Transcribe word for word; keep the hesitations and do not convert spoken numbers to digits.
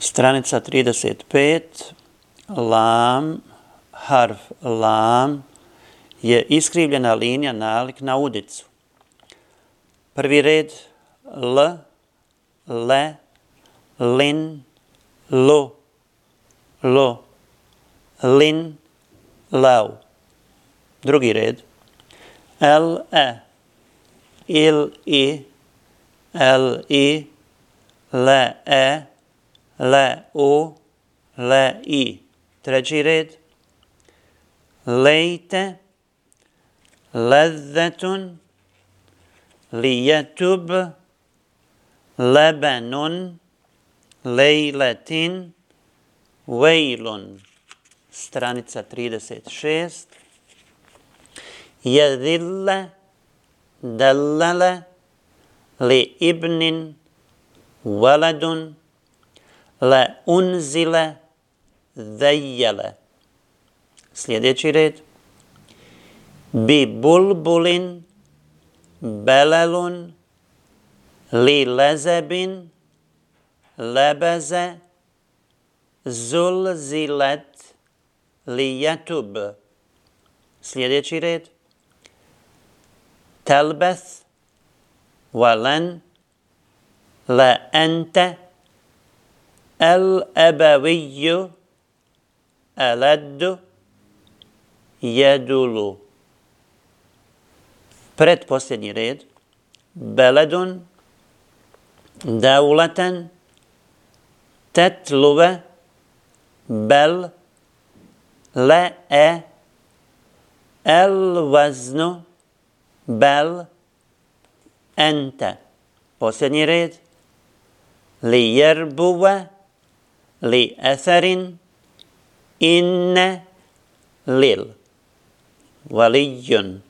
Stranica trideset pet, lam, harf lam je iskrivljena linija nalik na udicu. Prvi red l, le, lin, lu, lu, lin, lau. Drugi red l, e, il, i, l, i, le, e, le, u, le, i. Treći red lejte, ledzetun, lijetub, lebenun, lejletin, vejlun. Stranica trideset šest. Jedille, dellele, li ibnin, veledun, le unzile, zejjele. Sljedeći red bi bulbulin, belelun, li lezebin, lebeze, zulzilet, li jetub. Sljedeći red telbeth, valen, le ente, el ebeviju, eleddu, jedulu. Predposljednji red beledun, devleten, tetluve, bel, le, e, el vaznu, bel, ente. Posljednji red li jerbuve, li etherin, inne, lil. Valijun.